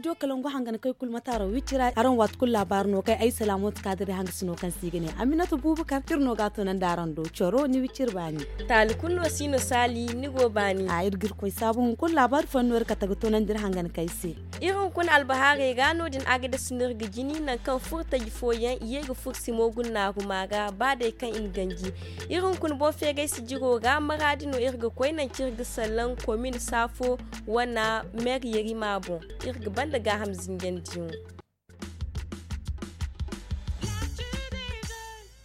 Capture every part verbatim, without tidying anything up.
Studio kalangu hangan kay kulu mataaro wicira araŋ waati kulu laabaari no kay ay salaamooti kaadiri hangasino kaŋ se i ga ne aminata buubakar iri no ga a tunandi araŋ do coro ni wiciri baani. Taali kulu no si no saali ni go baani. A iri ga iri koy saabu hunkuna laabaari fooyaŋ no iri kate ga tunandi iri hangan kay se. Iri hunkuna albahaarey ra no- din a ga dasi no iri ga jini nangu kaŋ furtaji fooyaŋ i ye ga furo simo guna naaru maara ba day kaŋ i na ganji. Iri hunkuna boŋ feeray sijiro ra maraadi no iri ga koy nangu kaŋ iri ga salaŋ komin saafo wana meeri yerima boŋ. Iri ga banda gaaham zinjandiyaŋo.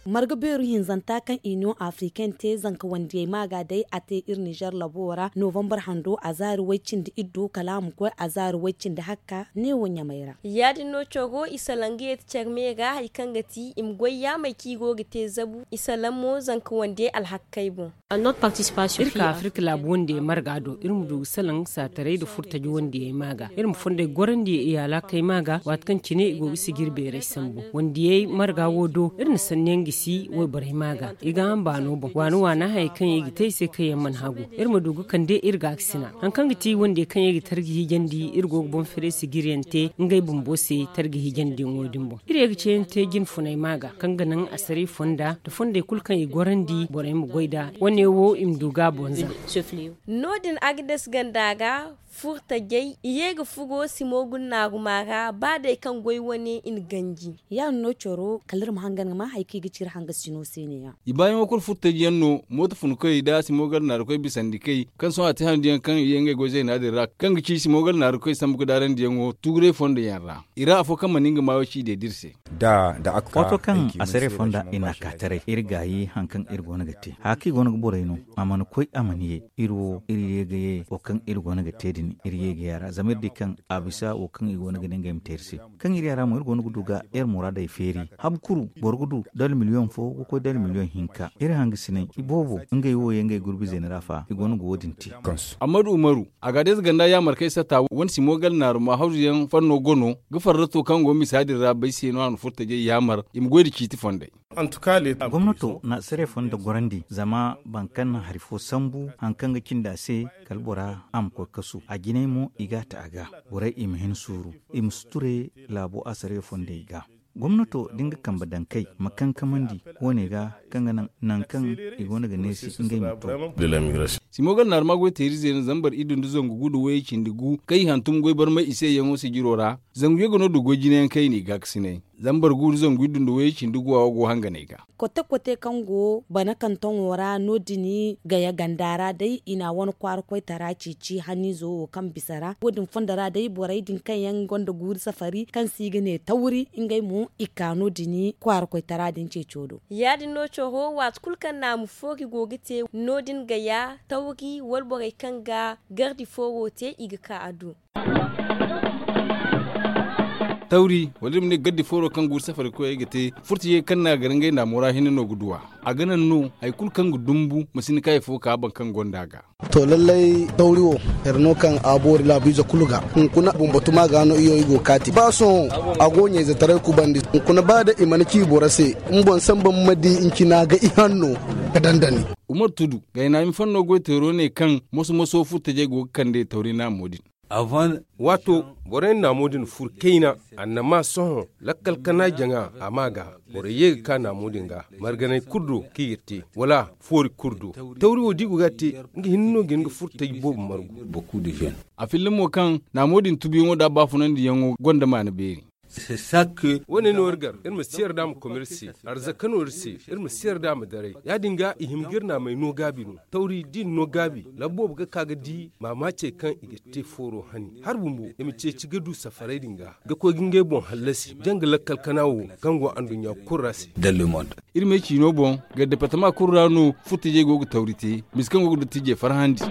Marga beeru hinzanta kaŋ iniyoŋ afriken te zanka wandiyey maaga day a te iri nizer labo ra novambar hando a zaari way-cindi iddu kala a ma koy a zaari way-cindi hakka neewo ɲamay ra. Ya- din no coro i salaŋ ga yeeti care me ra hari kaŋ ga ti i ma goy yaamey kaŋ i go ga te zabu i salaŋ mo zanka wandiyey alhakkey boŋ. Iri ka afirka laabu wandiyey marga do iri ma du ga salaŋ saataray nda furtaji wandiyey maaga iri ma fondey gorandi i alaakey maaga waati kaŋ cine i go ga sijiri beeray sambu wandiyey marga wo do iri na sanniyaŋ gisi wayborey maaga i ga hamba no boŋ waani waani hayey kaŋ yaŋ i ga te i se kaŋ yaŋ mana hagu iri ma du ga kande iri gaakasina hari kaŋ ga ti wandiyey kaŋ yaŋ i ga tarji hijandi iri go ga boŋ firay sijiriyaŋ te ngey bumbo se tarji hijandiyaŋo din boŋ iri ye ga ceeyaŋ te jine funay maaga kaŋ ga naŋ asaray fonda nda fondey kulu kaŋ i gorandi borey ma goy nd'a wane wo i ma du ga a boŋ za. No- din agades ganda ra furtajey i ye ga furo simo guna naaru maara ba day kaŋ goy wane i na ganji. Ya- din no coro kala iri ma hangan ga ma hari kaŋ i ga ci iri hangasino se ne- ya. I baayaŋo kulu furtaji yaŋ no mooto funkoy nda simo ganda naarukoy bisandikey kaŋ sohõ a te handu yaŋ kaŋ i ye ngey goy zayna din ra kaŋ ga ci simo ganda naarukoy sambu ga daarandiyaŋo tuuray fondo yaŋ ra i ra afo kaŋ mana nga maayo ci deeda iri se. Waato kaŋ asaray fonda i n'a ka taray iri gaayi hari kaŋ iri go no ga te haya kaŋ i go no ga borey no a mana koy a mana ye iri wo iri ye ga ye wo kaŋ iri go no ga te din iri ye ga ye a ra zama iri di kaŋ a bisa wo kaŋ i go no ga ne ngey ma te iri se kaŋ iri ya ra mo iri go no ga du ga iri muraadey feeri habu kuru boro ga du dala miliyoŋ fo ga koy dala miliyoŋ hinka iri hangasiney i boobo ngey wo ye ngey gurbi zeena ra fa i go no ga wo- din te. Ammadu umaru, agadeez ganda yaamarkey satta wane simo gala naaru ma hawzu yaŋ fanno go no ga farrato kaŋ go misa din ra bay se no a na furtajey yaamar i ma goy nda ciiti fondey. Gomnato na sere fondo gorandi zama boro kaŋ na hari fo sambu hari kaŋ ga cindi a se kala bora a ma koy kasu a jinay mo i ga a ta a ga borey i ma hin suuru i ma suture laabo a sere fondey ga. Gomnato da nga kambe daŋ kay ma kankamandi wo- ne ga kaŋ ga naŋ nangu kaŋ i go no ga neesi ngey ma to. Simo gala naaruma goy teeri zeena zambar iddu nda zangu gu nda wayey cindi gu kaŋ i hantum goy barmay i se yaŋo sijiro ra zangu yaŋ ga no du goy jinayaŋ kaŋ i n'i gaakasinay zambar gu nda zangu iddu nda wayey cindi gu a wo go hanganey ga. Kote kote kaŋ go bana kantoŋo ra no- din gaya ganda ra day i na a wane kwaara koytara ceeci haniizo wo kaŋ bisa ra wo- din fondo ra day borey din kaŋ yaŋ gonda guuri safari kaŋ se i ga ne tawri ngey mo i ka no- din kwaara koytara din ceeco do. Ya- din no coro waati kulu kaŋ naamu foori go ga te no- din gaya tawri wala borey kaŋ ga gardi fooro te i ga ka a do. Tawri wala iri ma ne gardi fooro kaŋ guuru safari koyey ga te furtajey kaŋ no a gar ngey naamo ra hinne no ga du a a ga naŋ no hari kulu kaŋ ga dumbu ma si ni kaay fo ka boro kaŋ gonda a ga. To lallay tawri wo, here no kaŋ a boori laabiize kulu ga hunkuna bumbo tuma ga no iyo i go kaati ba sohõ a go ɲayzetaray kubandi hunkuna ba da i mana ci boro se. Ni boŋ samba ma di ncina ga i hanno ga dandani. Umar tudu gaynaami fanno goyteero ne kaŋ moso moso furtajey go ga kande tawri naamo din. Waato borey na naamo din furu kayna annama sohõ lakkal kana jaŋa a ma ga borey ye ga ka naamo din ga marganay kulu do kaŋ i ga te wala foori kulu do. Tawri wo da i go ga a te nga hinne no ga hin ga furtaji boobo margu. A filla mo kaŋ naamo din tubuyaŋo da baafunandiyaŋo gonda maana beeri. Wo- ne no iri gar iri ma si yarda ma kom iri se arzaka no iri se. Iri ma si yarda ma daray ya- din ga i hima ga iri naamey no gaabi no. Tawri da i na no gaabi laba boobo ga ka ga di maamaacey kaŋ i ga te fooro hani hari bumbo i ma ceeci ga du safaray din ga ga koy ga ngey boŋ hallasi janga lakkal kana wo kaŋ go anduɲɲa kulu ra se. Iri me ciino boŋ ga departama kulu ra no furtajey go ga tawri te misa kaŋ go ga dottiijey farhandi.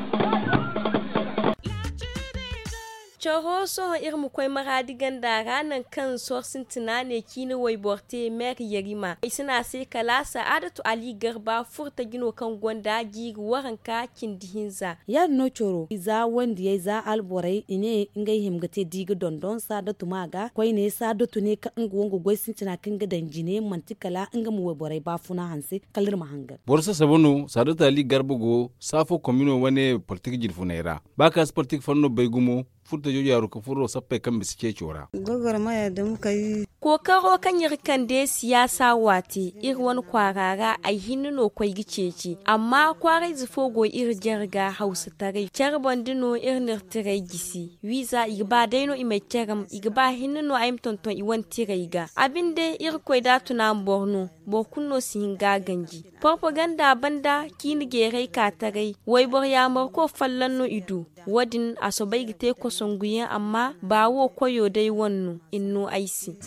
Coro sohõ iri ma koy maraadi ganda ra nangu kaŋ sor sintina ne ciine wayboro te meeri yarima ay si ne a se kala saadatu ali garba furtaji no kaŋ gonda jiiri waranka cindi hinza. Ya- din no coro za wandiyey za alborey i ne ngey hima ga te da i ga dondon saadatu ma ga koyne saadatu ne kaŋ nga wo nga goy sintina kaŋ ga daŋ jine manti kala nga ma wayborey baafuna hanse kala iri ma hangan. Boro sasaba no saadatu ali garba go saafo komino wane politik jirfuney ra ba ka si politik fanno bay gumo. Furtajoojo yaaru ka furo sappey kaŋ bisa ceeco ra. Kookaro kaŋ iri kande siyaasa waate iri wane kwaara ra ay hinne no koy ga ceeci amma kwaarayze fo go iri jarga hawsataray care banda no iri n'iri tiray gisi wiiza i ga ba day no i m'ay caram i ga ba hinne no ay ma tonton i wane tiray ga a binde irkoy da a tuna ma boro no boro kulu no si hin ga a ganji porpaganda banda ciine jeeray ka taray wayboro yaamarko folloŋ no i du wo- din a soobay ga te kosonguyaŋ amma ba wo koyo day wane no i na no ay se.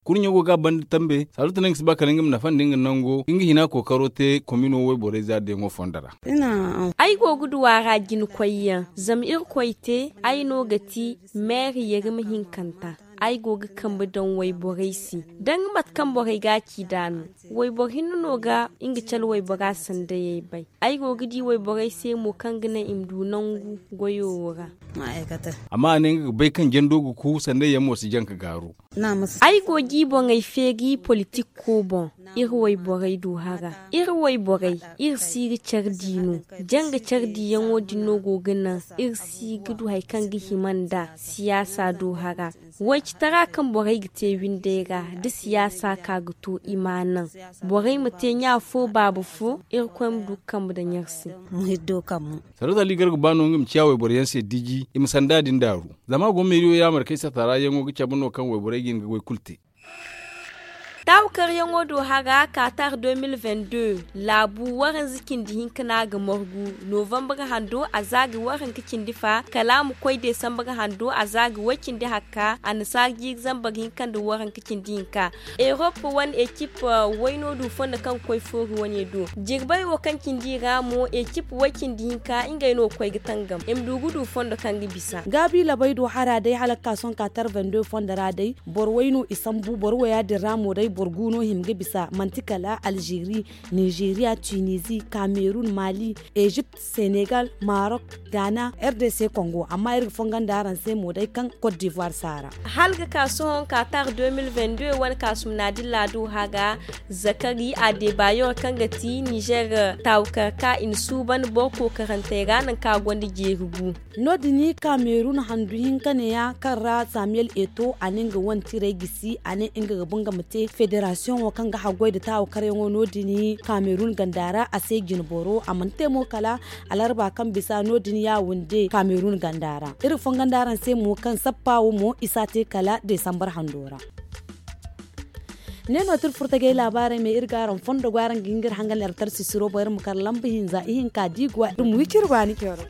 Kurɲo go ga a banda tambe saaluta no nga si ba kala nga ma nafa nda nga nango nga hina kookaro te komino wayborey zaari dayaŋo fondo ra. Ay go ga du a ra jina koyyaŋ zama irkoy te ay no ga ti meeri yarima hinkanta ay go ga kambe daŋ wayborey se danga mate kaŋ borey ga a ci nd'a no wayboro hinne no ga nga cale waybora sandayey bay ay go ga di wayborey se mo kaŋ ga naŋ i ma du nangu goyo wo ra. Amma a ne nga ga bay kaŋ jando ga ku sandayyaŋ mo si jaŋ ka gaaru. Ay go ga i boŋey feeri politik ko boŋ iri wayborey du hara iri wayborey iri si ga care di no janga care diyaŋo din no go ga naŋ iri si ga du hari kaŋ ga hima nd'a siyaasa du hara waycitara kaŋ borey ga te windey ra da siyaasa ka ga to i ma a naŋ borey ma te ɲa fo baaba fo irkoy ma du ga kambe daŋ iri se. Sarauta ligar ga ba no nga ma ciya wayboro yaŋ se diji i ma sanda din daaru zama a go meeriyo yaamar kay sata ra yaŋo ga cabe no kaŋ wayborey ga hin ga goy kulu te. Taawu karyaŋo do hara kaatar deux mille vingt-deux laabu waranza cindi hinka no a ga margu novambar hando a za ga waranka cindi fa kala a ma koy desambar hando a za ga way cindi hakka annasaara jiiri zambar hinka nda waranka cindi hinka. Erop wane ekip wayno du fondo kaŋ ga koy foori wane do jirbay wo kaŋ cindi i ra mo ekip way cindi hinka ngey no ga koy ga tangam i ma du ga du fondo kaŋ ga bisa. Gaabi labay do hara day hala ga ka sohõ kaatar vingt-deux fondo ra day boro way no i sambu boro waya din ra mo day boro gu no hima ga bisa manti kala alzeeri, nizeeriya, tunizi, kamerun, mali, ezipt, senegal, marok, gaana, r d c kongo amma iri ga fongondi araŋ se mo day kaŋ kot divoire saara. Hala ga ka sohõ kaatar deux mille vingt-deux wane kaasumna dilla do haga zakari a deebaayoro kaŋ ga ti nizer taawukar ka i na suuban boro kookarantey ra nangu kaŋ a gonda jeeri gu. No- din kamerun handu hinka neeya kaŋ ra samiyel eto a ne nga wane tiray gisi a ne nga ga ba nga ma te federasiyoŋo kaŋ ga haggoy nda taawakaryaŋo no- din kamerun ganda ra a se jinboro a mana te mo kala alarba kaŋ bisa no- din ya wande kamerun ganda ra iri fongondi araŋ se mo kaŋ sappa wo mo i si a te kala desambar hando ra. Ne no ti iri furtagay laabaarey me iri ga araŋ fondo go araŋ ga hin ga iri hangan iri tarsisiro boŋ iri ma kar lamba hinza ihinka di ga wa iri ma wi ciri baani coro.